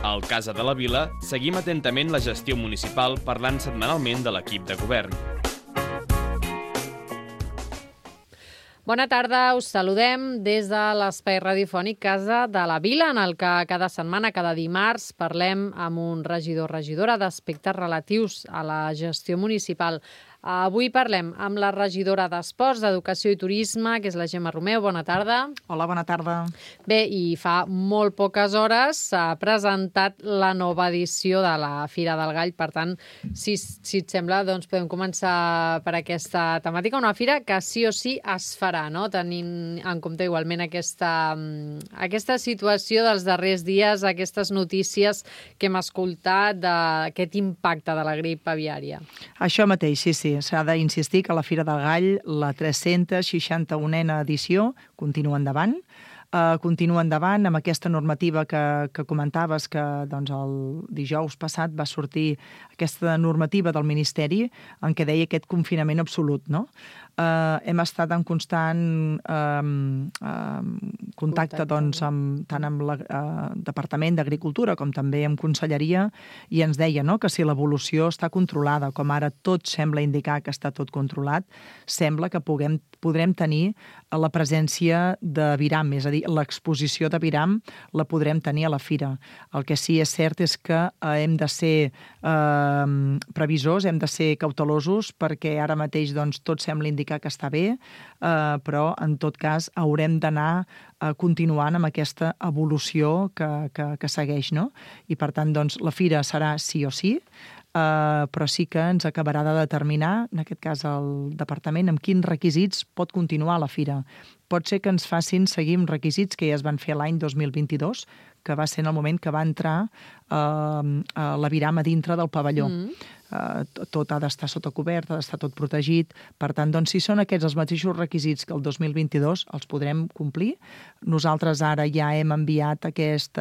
Al Casa de la Vila seguim atentament la gestió municipal parlant setmanalment de l'equip de govern. Bona tarda, us saludem des de l'espai radiofònic Casa de la Vila, en el que cada setmana, cada dimarts, parlem amb un regidor o regidora d'aspectes relatius a la gestió municipal. Avui parlem amb la regidora d'Esports, d'Educació i Turisme, que és la Gemma Romeu. Bona tarda. Hola, bona tarda. Bé, i fa molt poques hores s'ha presentat la nova edició de la Fira del Gall. Per tant, si et sembla, doncs podem començar per aquesta temàtica. Una fira que sí o sí es farà, no? Tenint en compte igualment aquesta situació dels darrers dies, aquestes notícies que hem escoltat d'aquest impacte de la grip aviària. Això mateix, sí. S'ha d'insistir que la Fira del Gall, la 361a edició, continua endavant. Continua endavant amb aquesta normativa que comentaves, que doncs, el dijous passat va sortir aquesta normativa del Ministeri en què deia aquest confinament absolut, no? Hem estat en constant contacte doncs, tant amb el Departament d'Agricultura com també amb Conselleria, i ens deia, no?, que si l'evolució està controlada, com ara tot sembla indicar que està tot controlat, sembla que podrem tenir la presència de viram, és a dir, l'exposició de viram la podrem tenir a la fira. El que sí és cert és que hem de ser previsors, hem de ser cautelosos, perquè ara mateix doncs, tot sembla indicar que està bé, però en tot cas haurem d'anar continuant amb aquesta evolució que segueix, no? I per tant, doncs, la fira serà sí o sí, però sí que ens acabarà de determinar, en aquest cas el departament, amb quins requisits pot continuar la fira. Pot ser que ens facin seguir amb requisits que ja es van fer l'any 2022, que va ser en el moment que va entrar la viram a dintre del pavelló. Tot ha d'estar sota cobert, ha d'estar tot protegit. Per tant, doncs, si són aquests els mateixos requisits que el 2022, els podrem complir. Nosaltres ara ja hem enviat aquest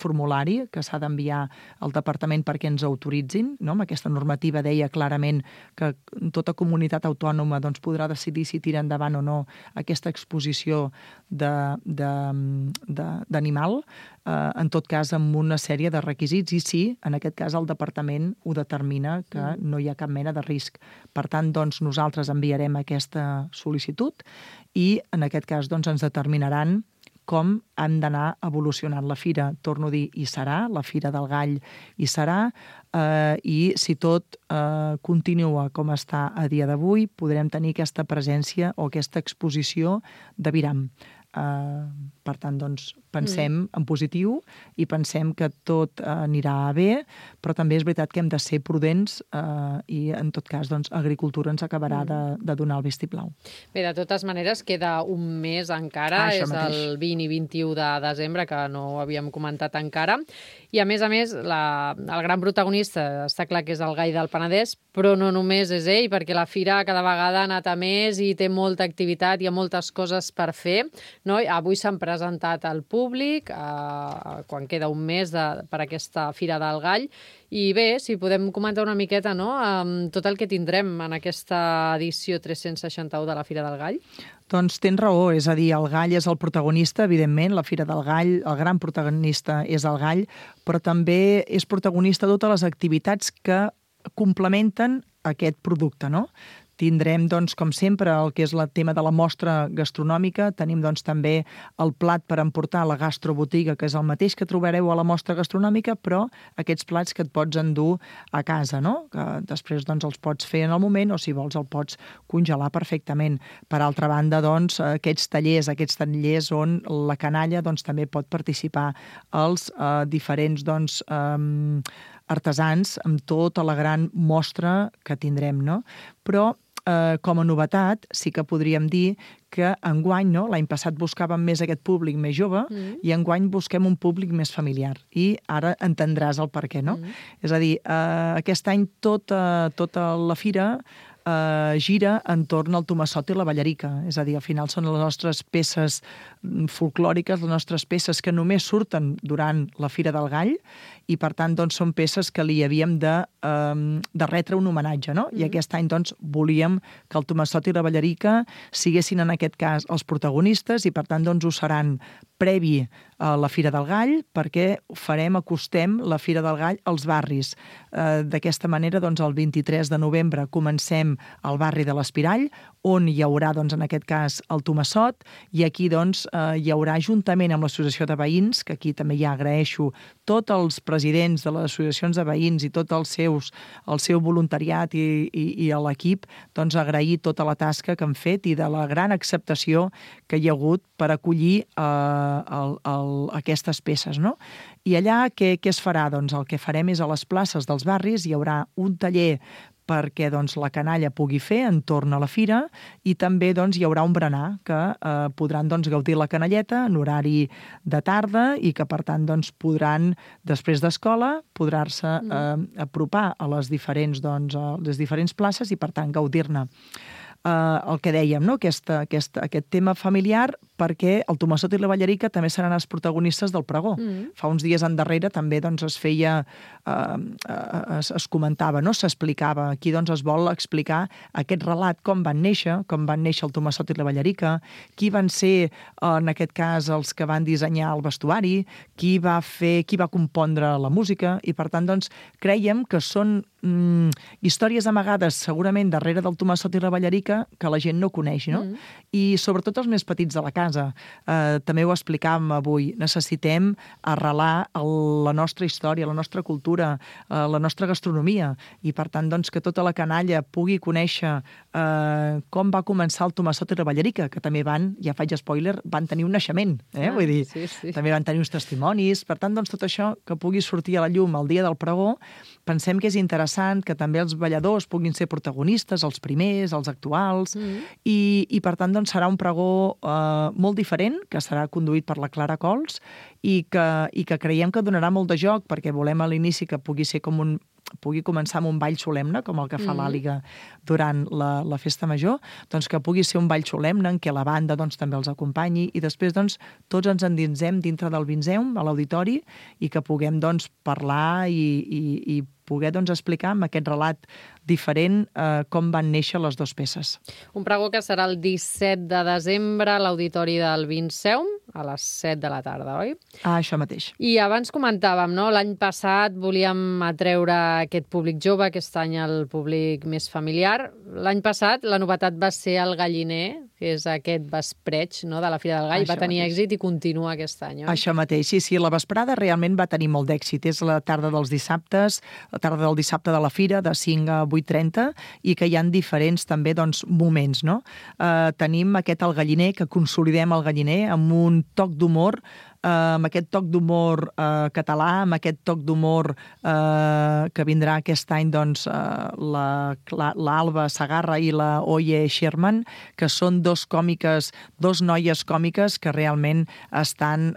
formulari que s'ha d'enviar al departament perquè ens autoritzin, no? Aquesta normativa deia clarament que tota comunitat autònoma doncs, podrà decidir si tira endavant o no aquesta exposició d'animal, en tot cas amb una sèrie de requisits, i sí, en aquest cas el departament ho determina que no hi ha cap mena de risc. Per tant, doncs, nosaltres enviarem aquesta sol·licitud i en aquest cas doncs, ens determinaran com hem d'anar evolucionant la fira. Torno a dir, hi serà, la Fira del Gall hi serà, i si tot continua com està a dia d'avui, podrem tenir aquesta presència o aquesta exposició de viram. Per tant, doncs, pensem en positiu i pensem que tot anirà bé, però també és veritat que hem de ser prudents i, en tot cas, doncs, Agricultura ens acabarà de donar el vistiplau. Bé, de totes maneres, queda un mes encara, és el 20 i 21 de desembre, que no ho havíem comentat encara, i a més, el gran protagonista està clar que és el Gall del Penedès, però no només és ell, perquè la fira cada vegada ha anat a més i té molta activitat, hi ha moltes coses per fer, no? Avui s'han presentat al públic, quan queda un mes per aquesta Fira del Gall, i bé, si podem comentar una miqueta, no?, tot el que tindrem en aquesta edició 361 de la Fira del Gall. Doncs tens raó, és a dir, el gall és el protagonista, evidentment, la Fira del Gall, el gran protagonista és el gall, però també és protagonista totes les activitats que complementen aquest producte, no? Tindrem, doncs, com sempre, el que és el tema de la mostra gastronòmica. Tenim, doncs, també el plat per emportar a la gastrobotiga, que és el mateix que trobareu a la mostra gastronòmica, però aquests plats que et pots endur a casa, no? Que després, doncs, els pots fer en el moment o, si vols, el pots congelar perfectament. Per altra banda, doncs, aquests tallers on la canalla, doncs, també pot participar, els diferents, doncs, artesans amb tota la gran mostra que tindrem, no? Però com a novetat, sí que podríem dir que enguany, no? L'any passat buscàvem més aquest públic més jove i enguany busquem un públic més familiar. I ara entendràs el per què, no? És a dir, aquest any tota la fira gira entorn al Tomassot i la Ballarica. És a dir, al final són les nostres peces folclòriques, les nostres peces que només surten durant la Fira del Gall i, per tant, doncs, són peces que li havíem de retre un homenatge, no? I aquest any, doncs, volíem que el Tomassot i la Ballarica siguessin, en aquest cas, els protagonistes i, per tant, doncs, ho seran previ a la Fira del Gall, perquè acostem la Fira del Gall als barris. D'aquesta manera, doncs, el 23 de novembre comencem al barri de l'Espirall, on hi haurà, doncs, en aquest cas, el Tomassot, i aquí, doncs, hi haurà, juntament amb l'Associació de Veïns, que aquí també ja agraeixo tots els presidents de les associacions de veïns i tot el seu voluntariat i a l'equip, doncs, agrair tota la tasca que han fet i de la gran acceptació que hi ha hagut per acollir aquestes peces, no? I allà què es farà? Doncs el que farem és a les places dels barris hi haurà un taller perquè, doncs, la canalla pugui fer entorn a la fira i també, doncs, hi haurà un berenar que podran, doncs, gaudir la canalleta en horari de tarda i que, per tant, doncs, podran, després d'escola, podrar-se apropar a les diferents places i, per tant, gaudir-ne. El que dèiem, no? Aquest tema familiar, perquè el Tomassot i la Ballarica també seran els protagonistes del pregó. Fa uns dies endarrere també, doncs, es feia, es comentava, no? S'explicava. Aquí, doncs, es vol explicar aquest relat, com van néixer el Tomassot i la Ballarica, qui van ser, en aquest cas, els que van dissenyar el vestuari, qui va compondre la música, i, per tant, doncs, creiem que són històries amagades segurament darrere del Tomassot i la Ballarica que la gent no coneix, no? I sobretot els més petits de la casa. També ho explicàvem avui. Necessitem arrelar la nostra història, la nostra cultura, la nostra gastronomia, i, per tant, doncs, que tota la canalla pugui conèixer com va començar el Tomassot i la Ballarica, que també ja faig spoiler, van tenir un naixement, vull dir, també van tenir uns testimonis. Per tant, doncs, tot això que pugui sortir a la llum el dia del pregó, pensem que és interessant que també els balladors puguin ser protagonistes, els primers, els actuals, i per tant, doncs, serà un pregó molt diferent, que serà conduït per la Clara Cols i que creiem que donarà molt de joc, perquè volem a l'inici que pugui començar amb un ball solemne, com el que fa l'Àliga durant la festa major, doncs que pugui ser un ball solemne en què la banda, doncs, també els acompanyi, i després, doncs, tots ens endinsem dintre del Vinzeum, a l'auditori, i que puguem, doncs, parlar i poder, doncs, explicar amb aquest relat diferent com van néixer les dues peces. Un pregó que serà el 17 de desembre a l'auditori del Vinzeum, a les 7 de la tarda, oi? Això mateix. I abans comentàvem, no? L'any passat volíem atreure aquest públic jove, aquest any el públic més familiar. L'any passat la novetat va ser el galliner, que és aquest vespreig, no?, de la Fira del Gall. Va tenir èxit i continua aquest any, oi? Això mateix, sí. La vesprada realment va tenir molt d'èxit. És la tarda dels dissabtes, la tarda del dissabte de la Fira, de 5 a 8:30, i que hi ha diferents també, doncs, moments, no? Tenim el galliner, que consolidem el galliner amb un toc d'humor, amb aquest toc d'humor català, amb aquest toc d'humor que vindrà aquest any, doncs, l'Alba Sagarra i la Oye Sherman, que són dos noies còmiques que realment estan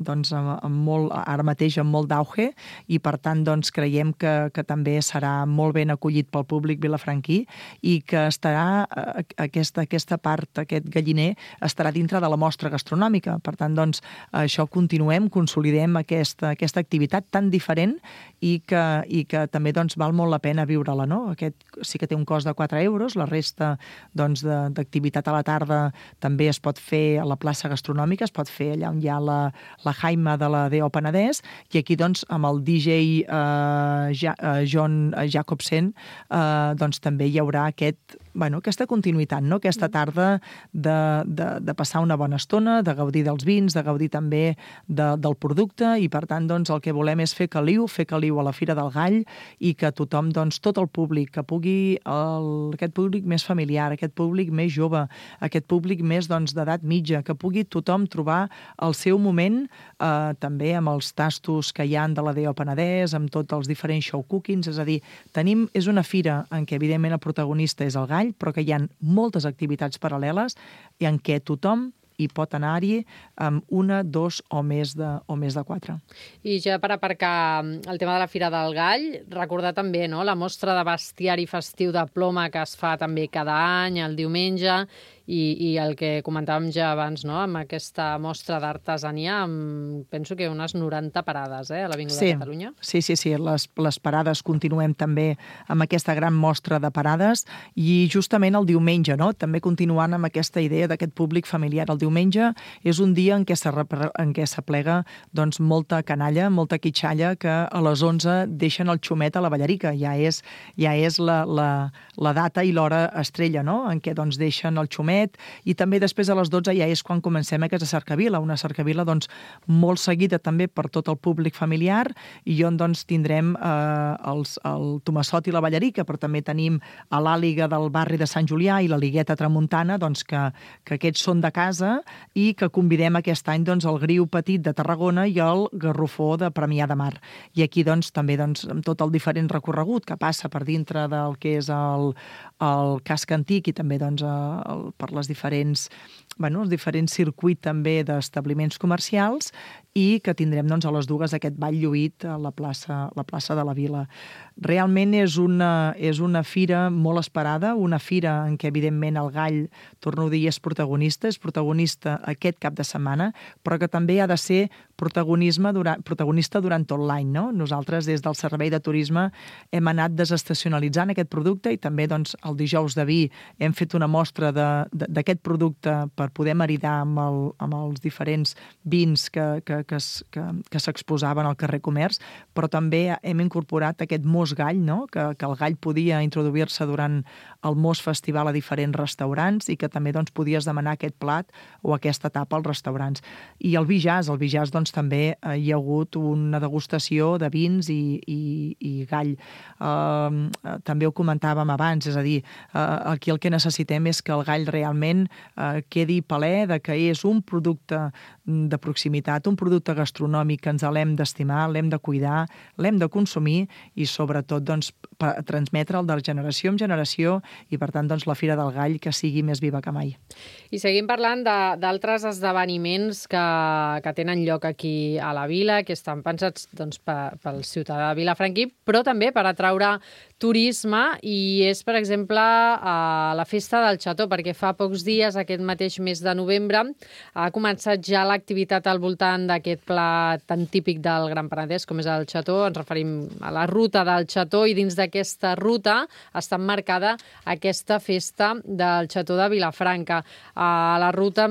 doncs, ara mateix amb molt d'auge, i, per tant, doncs, creiem que també serà molt ben acollit pel públic vilafranquí i que estarà aquesta part, aquest galliner, estarà dintre de la mostra gastronòmica. Per tant, doncs, això consolidem aquesta activitat tan diferent i que també, doncs, val molt la pena viure-la, no? Aquest sí que té un cost de 4 euros, la resta, doncs, d'activitat a la tarda també es pot fer a la plaça gastronòmica, es pot fer allà on hi ha la Jaima de la D.O. Penedès, i aquí, doncs, amb el DJ John Jacobsen, doncs, també hi haurà aquesta continuïtat, no? Aquesta tarda de passar una bona estona, de gaudir dels vins, de gaudir també del producte, i, per tant, doncs, el que volem és fer caliu a la Fira del Gall, i que tothom, doncs, tot el públic, que pugui, aquest públic més familiar, aquest públic més jove, aquest públic més, doncs, d'edat mitja, que pugui tothom trobar el seu moment, també amb els tastos que hi ha de la D.O. Penedès, amb tots els diferents show cookings, és a dir, és una fira en què, evidentment, el protagonista és el gall, però que hi ha moltes activitats paral·leles i en què tothom i pot anar-hi amb una, dos o més de 4. I ja per aparcar el tema de la Fira del Gall, recordar també, no?, la mostra de bestiari festiu de Ploma que es fa també cada any, el diumenge, i el que comentàvem ja abans, no?, amb aquesta mostra d'artesania, penso que unes 90 parades, a l'Avinguda de Catalunya. Sí. Les parades continuem també amb aquesta gran mostra de parades i justament el diumenge, no?, també continuant amb aquesta idea d'aquest públic familiar. El diumenge és un dia en què s'aplega doncs, molta canalla, molta quitxalla que a les 11 deixen el xumet a la Ballarica. Ja és la data i l'hora estrella, no?, en què doncs, deixen el xumet, i també després a les 12 ja és quan comencem aquesta cercavila, una cercavila doncs, molt seguida també per tot el públic familiar i on doncs, tindrem el Tomassot i la Ballarica, però també tenim a l'Àliga del barri de Sant Julià i la Ligueta Tramuntana, doncs, que aquests són de casa i que convidem aquest any doncs, el Griu Petit de Tarragona i el Garrofó de Premià de Mar. I aquí doncs, també doncs, amb tot el diferent recorregut que passa per dintre del que és el casc antic i també doncs, per els diferents circuits també d'establiments comercials i que tindrem doncs, a les dues aquest ball lluït a la plaça de la Vila. Realment és una fira molt esperada, una fira en què evidentment el Gall, torno a dir, és protagonista aquest cap de setmana, però que també ha de ser protagonista durant tot l'any. No? Nosaltres des del Servei de Turisme hem anat desestacionalitzant aquest producte i també doncs, el dijous de vi hem fet una mostra d'aquest producte per poder maridar amb els diferents vins que s'exposaven al carrer Comerç, però també hem incorporat aquest mos gall, no? que el gall podia introduir-se durant el mos festival a diferents restaurants i que també doncs, podies demanar aquest plat o aquesta tapa als restaurants. I el vi jazz doncs, també hi ha hagut una degustació de vins i gall. També ho comentàvem abans, és a dir, aquí el que necessitem és que el gall realment quedi palè de que és un producte de proximitat, un producte gastronòmic que ens l'hem d'estimar, l'hem de cuidar, l'hem de consumir i sobretot doncs, transmetre'l de generació en generació i per tant doncs, la Fira del Gall que sigui més viva que mai. I seguim parlant d'altres esdeveniments que tenen lloc aquí a la vila, que estan pensats doncs, pel ciutadà de Vilafranquí, però també per atraure turisme i és, per exemple, la Festa del Xató, perquè fa pocs dies, aquest mateix mes de novembre, ha començat ja l'activitat al voltant d'aquest plat tan típic del Gran Penedès, com és el xató. Ens referim a la ruta del xató i dins d'aquesta ruta està emmarcada aquesta festa del xató de Vilafranca. La ruta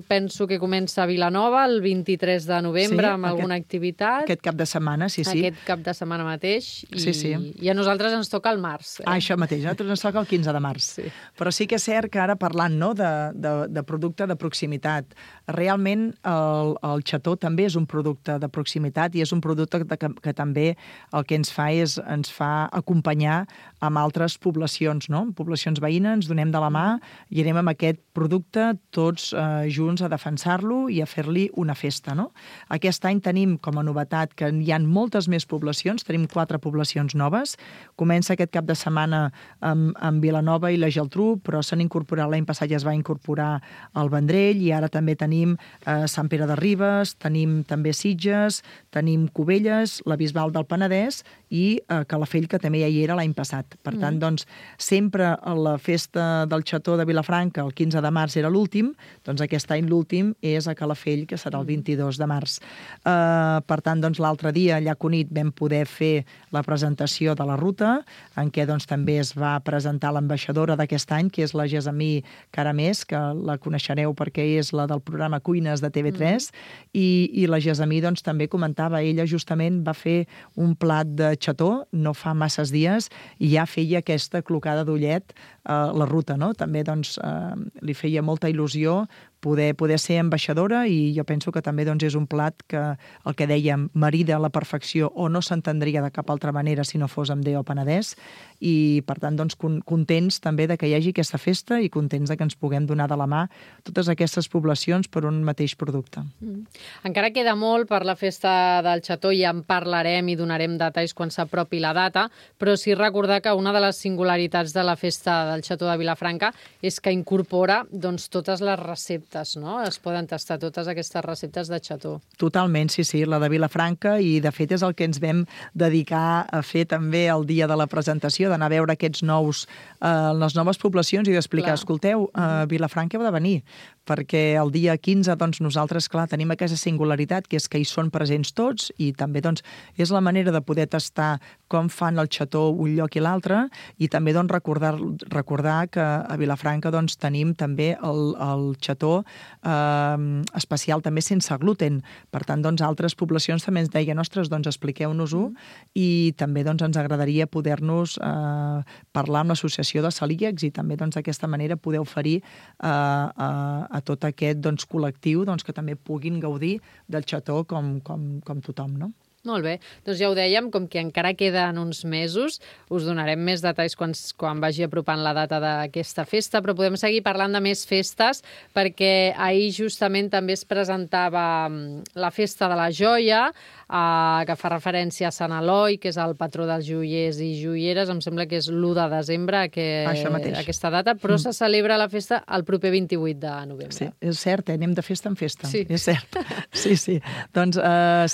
penso que comença a Vilanova el 23 de novembre amb alguna activitat. Aquest cap de setmana, sí. Aquest cap de setmana mateix. I a nosaltres ens toca el març. Això mateix, a nosaltres ens toca el 15 de març. Sí. Però sí que és cert que ara parlant de producte de proximitat, realment el xató també és un producte de proximitat i és un producte que també el que ens fa acompanyar amb altres poblacions, no? Poblacions veïnes, ens donem de la mà i anem amb aquest producte tots junts a defensar-lo i a fer-li una festa, no? Aquest any tenim com a novetat que hi ha moltes més poblacions, tenim 4 poblacions noves. Comença aquest cap de setmana amb Vilanova i la Geltrú, però s'han incorporat, l'any passat ja es va incorporar el Vendrell i ara també tenim Sant Pere de Ribes, tenim també Sitges, tenim Cubelles, la Bisbal del Penedès i Calafell, que també ja hi era l'any passat. Per tant, doncs, sempre la festa del xató de Vilafranca, el 15 de març era l'últim, doncs aquest any l'últim és a Calafell, que serà el 22 de març. Per tant, doncs, l'altre dia, allà a Cunit, vam poder fer la presentació de la ruta, en què doncs, també es va presentar l'ambaixadora d'aquest any, que és la Gesamí Caramés, que la coneixereu perquè és la del programa Cuines de TV3, i la Gesamí doncs, també comentava, ella justament va fer un plat de xató no fa masses dies i ja feia aquesta clocada d'ullet la ruta, no? També doncs, li feia molta il·lusió poder ser ambaixadora i jo penso que també doncs, és un plat que el que dèiem marida a la perfecció o no s'entendria de cap altra manera si no fos amb DO Penedès i per tant doncs, contents també de que hi hagi aquesta festa i contents de que ens puguem donar de la mà totes aquestes poblacions per un mateix producte. Encara queda molt per la festa del xató i en parlarem i donarem detalls quan s'apropi la data, però sí recordar que una de les singularitats de la festa del xató de Vilafranca és que incorpora doncs, totes les receptes receptes, no? Es poden tastar totes aquestes receptes de xató. Totalment, sí, la de Vilafranca, i de fet és el que ens vam dedicar a fer també el dia de la presentació, d'anar a veure aquests les noves poblacions i d'explicar, escolteu, Vilafranca heu de venir, perquè el dia 15 doncs, nosaltres, clar, tenim aquesta singularitat, que és que hi són presents tots, i també doncs, és la manera de poder tastar com fan el xató un lloc i l'altre, i també doncs, recordar que a Vilafranca doncs, tenim també el xató especial també sense gluten. Per tant, doncs, altres poblacions també ens deien, ostres, doncs expliqueu-nos-ho, i també doncs, ens agradaria poder-nos parlar amb l'associació de celíacs i també doncs, d'aquesta manera poder oferir a tot aquest doncs, col·lectiu doncs, que també puguin gaudir del xató com tothom, no? Molt bé. Doncs ja ho dèiem, com que encara queden uns mesos, us donarem més detalls quan vagi apropant la data d'aquesta festa, però podem seguir parlant de més festes, perquè ahir justament també es presentava la Festa de la Joia, que fa referència a Sant Eloi, que és el patró dels joiers i joieres. Em sembla que és l'1 de desembre, aquesta data, però se celebra la festa el proper 28 de novembre. Sí, és cert, anem de festa en festa. Sí. És cert. Sí. Doncs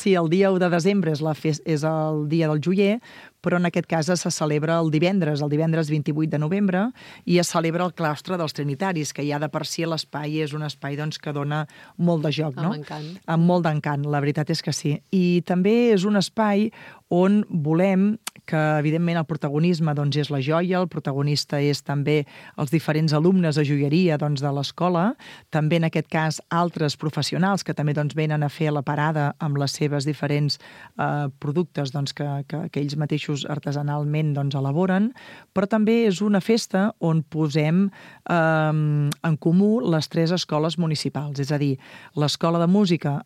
sí, el dia 1 de desembre és el dia del joier, però en aquest cas se celebra el divendres 28 de novembre, i es celebra el claustre dels Trinitaris, que ja de per si l'espai és un espai doncs, que dona molt de joc, no? Amb encant. Amb molt d'encant, la veritat és que sí. I també és un espai on volem que, evidentment, el protagonisme doncs, és la joia, el protagonista és també els diferents alumnes de joieria doncs, de l'escola, també en aquest cas altres professionals que també doncs, venen a fer la parada amb les seves diferents productes doncs, que ells mateixos artesanalment doncs, elaboren, però també és una festa on posem en comú les 3 escoles municipals. És a dir, l'escola de música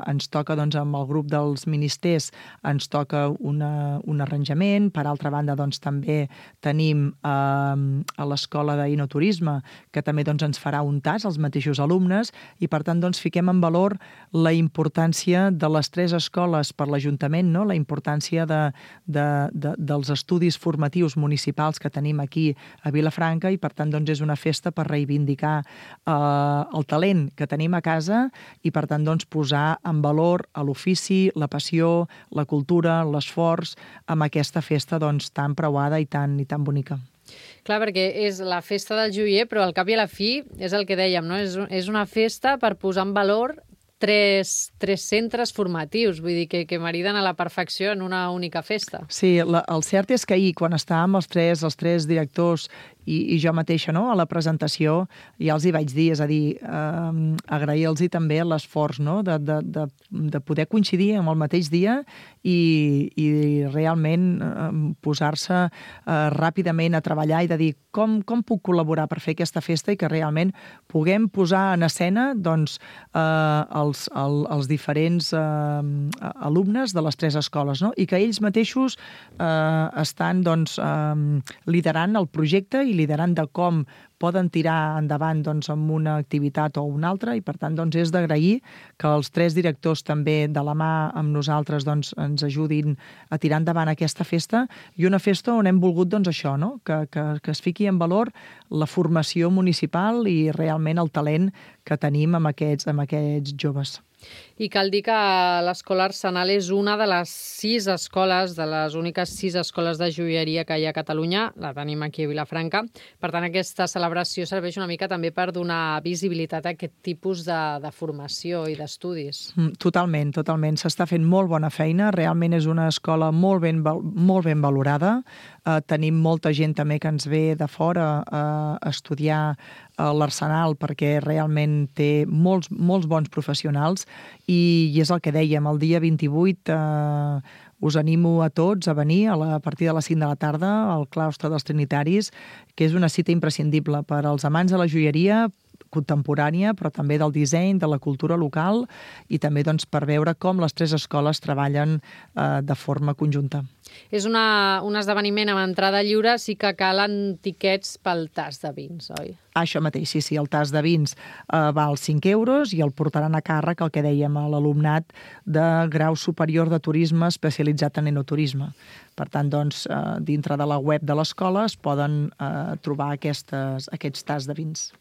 ens toca doncs, amb el grup dels ministers, ens toca un arranjament. Per altra banda, doncs, també tenim a l'escola d'Inoturisme, que també doncs, ens farà un tas als mateixos alumnes, i per tant doncs, fiquem en valor la importància de les 3 escoles per l'Ajuntament, no? La importància dels estudis formatius municipals que tenim aquí a Vilafranca, i per tant doncs, és una festa per reivindicar el talent que tenim a casa i per tant doncs, posar en valor l'ofici, la passió, la cultura, l'esforç amb aquesta festa doncs, tan preuada i tan bonica. Clar, perquè és la festa del joier, però al cap i a la fi és el que dèiem, no? És una festa per posar en valor tres centres formatius, vull dir que mariden a la perfecció en una única festa. Sí, el cert és que ahir, quan estàvem els tres directors i jo mateixa, no? A la presentació ja els hi vaig dir, és a dir, agrair-los també l'esforç, no? de poder coincidir en el mateix dia i realment posar-se ràpidament a treballar i de dir com puc col·laborar per fer aquesta festa i que realment puguem posar en escena doncs, els diferents alumnes de les 3 escoles, no? I que ells mateixos estan doncs, liderant el projecte i liderant de com poden tirar endavant doncs, amb una activitat o una altra, i per tant doncs, és d'agrair que els 3 directors també de la mà amb nosaltres doncs, ens ajudin a tirar endavant aquesta festa, i una festa on hem volgut doncs, això, no? que es fiqui en valor la formació municipal i realment el talent que tenim amb aquests joves. I cal dir que l'Escola Arsenal és una de les 6 escoles, de les úniques 6 escoles de joieria que hi ha a Catalunya, la tenim aquí a Vilafranca. Per tant, aquesta celebració serveix una mica també per donar visibilitat a aquest tipus de formació i d'estudis. Totalment. S'està fent molt bona feina. Realment és una escola molt ben valorada. Tenim molta gent també que ens ve de fora a estudiar a l'Arsenal perquè realment té molts bons professionals i és el que dèiem, el dia 28 us animo a tots a venir a partir de les 5 de la tarda al claustre dels Trinitaris, que és una cita imprescindible per als amants de la joieria contemporània, però també del disseny, de la cultura local i també doncs, per veure com les 3 escoles treballen de forma conjunta. És un esdeveniment amb entrada lliure, sí que calen tiquets pel tas de vins, oi? Això mateix, sí. El tas de vins val 5 euros i el portaran a càrrec, el que dèiem, a l'alumnat de grau superior de turisme especialitzat en enoturisme. Per tant, doncs, dintre de la web de l'escola es poden trobar aquests tas de vins.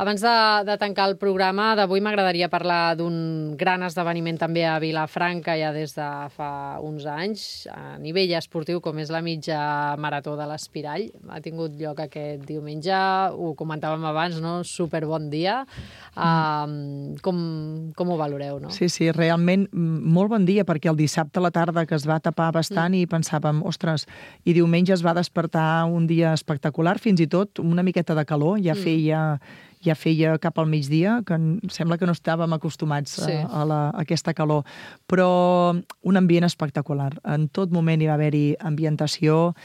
Abans de tancar el programa d'avui m'agradaria parlar d'un gran esdeveniment també a Vilafranca ja des de fa uns anys, a nivell esportiu, com és la mitja marató de l'Espirall. Ha tingut lloc aquest diumenge, ho comentàvem abans, no? Super bon dia. Com ho valoreu, no? Sí, realment molt bon dia, perquè el dissabte a la tarda que es va tapar bastant i pensàvem, ostres, i diumenge es va despertar un dia espectacular, fins i tot una miqueta de calor, ja feia cap al migdia, que sembla que no estàvem acostumats a aquesta calor, però un ambient espectacular. En tot moment hi va haver-hi ambientació,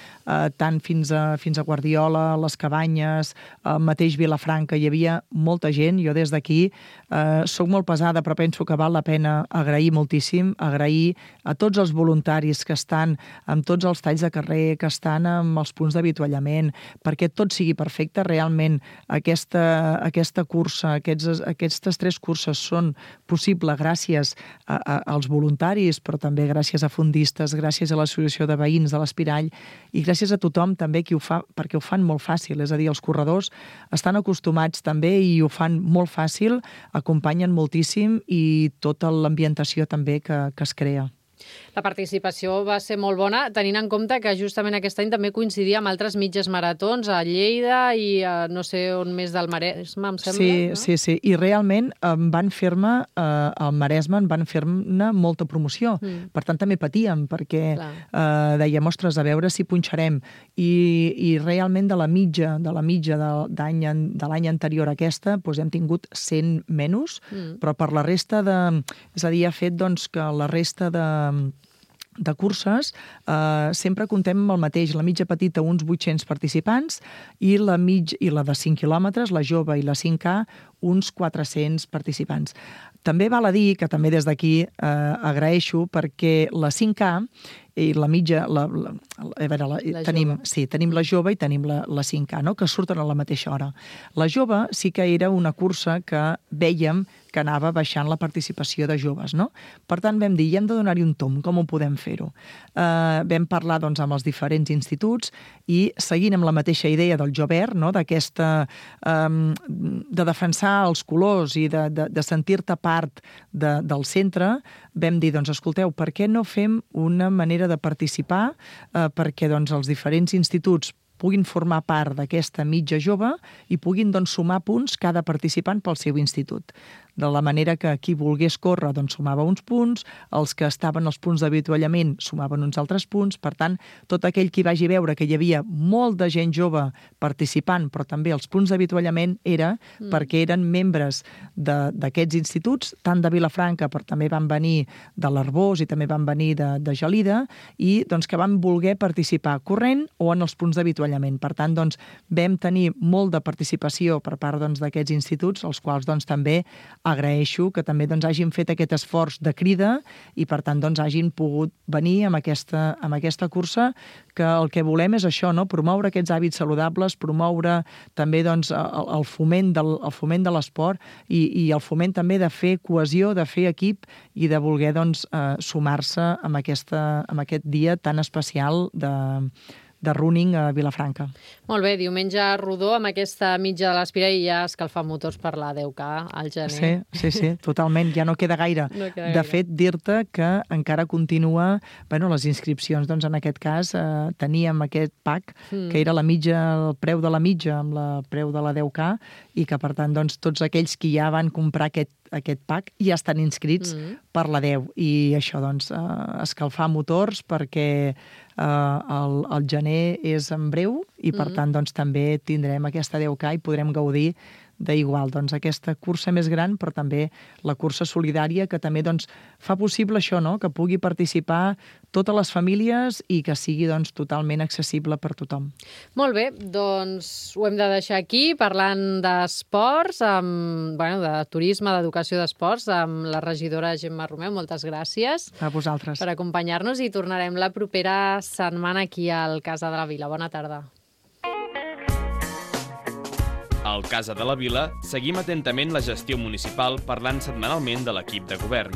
tant fins a Guardiola, les Cabanyes, al mateix Vilafranca, hi havia molta gent. Jo des d'aquí soc molt pesada, però penso que val la pena agrair moltíssim, agrair a tots els voluntaris que estan amb tots els talls de carrer, que estan amb els punts d'avituallament, perquè tot sigui perfecte. Realment aquesta cursa, aquestes 3 curses són possibles gràcies als voluntaris, però també gràcies a fondistes, gràcies a l'Associació de Veïns de l'Espirall i gràcies a tothom també qui ho fa, perquè ho fan molt fàcil. És a dir, els corredors estan acostumats també i ho fan molt fàcil, acompanyen moltíssim i tota l'ambientació també que es crea. La participació va ser molt bona, tenint en compte que justament aquest any també coincidia amb altres mitges maratons a Lleida i no sé on més del Maresme, em sembla. Sí. I realment van fer-me, al Maresme, van fer-ne molta promoció. Per tant, també patíem, perquè dèiem, ostres, a veure si punxarem. I realment de la mitja de l'any anterior a aquesta, doncs hem tingut 100 menys, però per la resta és a dir, ha fet que la resta de curses sempre contem amb el mateix. La mitja petita, uns 800 participants, i la de 5 quilòmetres, la jove i la 5K, uns 400 participants. També val a dir que també des d'aquí agraeixo, perquè la 5K i la mitja, tenim la jove i tenim la 5K, no? Que surten a la mateixa hora. La jove sí que era una cursa que vèiem que anava baixant la participació de joves, no? Per tant, vam dir, hem de donar-hi un tomb, com ho podem fer-ho? Vam parlar amb els diferents instituts i, seguint amb la mateixa idea del Jovert, no? D'aquesta de defensar els colors i de sentir-te part del centre, vam dir, escolteu, per què no fem una manera de participar perquè els diferents instituts puguin formar part d'aquesta mitja jove i puguin sumar punts cada participant pel seu institut. De la manera que qui volgués córrer sumava uns punts, els que estaven als punts d'avituallament sumaven uns altres punts. Per tant, tot aquell qui vagi veure que hi havia molt de gent jove participant, però també els punts d'avituallament era perquè eren membres d'aquests instituts, tant de Vilafranca, però també van venir de l'Arbós i també van venir de Gelida, i que van voler participar corrent o en els punts d'avituallament. Per tant, vam tenir molt de participació per part d'aquests instituts, els quals també agraeixo que també hagin fet aquest esforç de crida i, per tant, hagin pogut venir amb aquesta cursa, que el que volem és això, no? Promoure aquests hàbits saludables, promoure també el foment de l'esport i el foment també de fer cohesió, de fer equip i de voler sumar-se amb aquest dia tan especial de running a Vilafranca. Molt bé, diumenge rodó amb aquesta mitja de l'Espirall i ja escalfar motors per la 10K al gener. Sí, totalment, ja no queda gaire. De fet, dir-te que encara continua, les inscripcions, en aquest cas, teníem aquest pack, que era la mitja, el preu de la mitja amb el preu de la 10K, i que, per tant, tots aquells que ja van comprar aquest pack ja estan inscrits per la 10. I això, escalfar motors, perquè el gener és en breu i, per tant, també tindrem aquesta 10K i podrem gaudir d'igual, aquesta cursa més gran, però també la cursa solidària, que també fa possible això, no? Que pugui participar totes les famílies i que sigui totalment accessible per tothom. Molt bé, ho hem de deixar aquí, parlant d'esports, de turisme, d'educació d'esports, amb la regidora Gemma Romeu. Moltes gràcies a vosaltres per acompanyar-nos i tornarem la propera setmana aquí al Casa de la Vila. Bona tarda. Al Casa de la Vila seguim atentament la gestió municipal parlant setmanalment de l'equip de govern.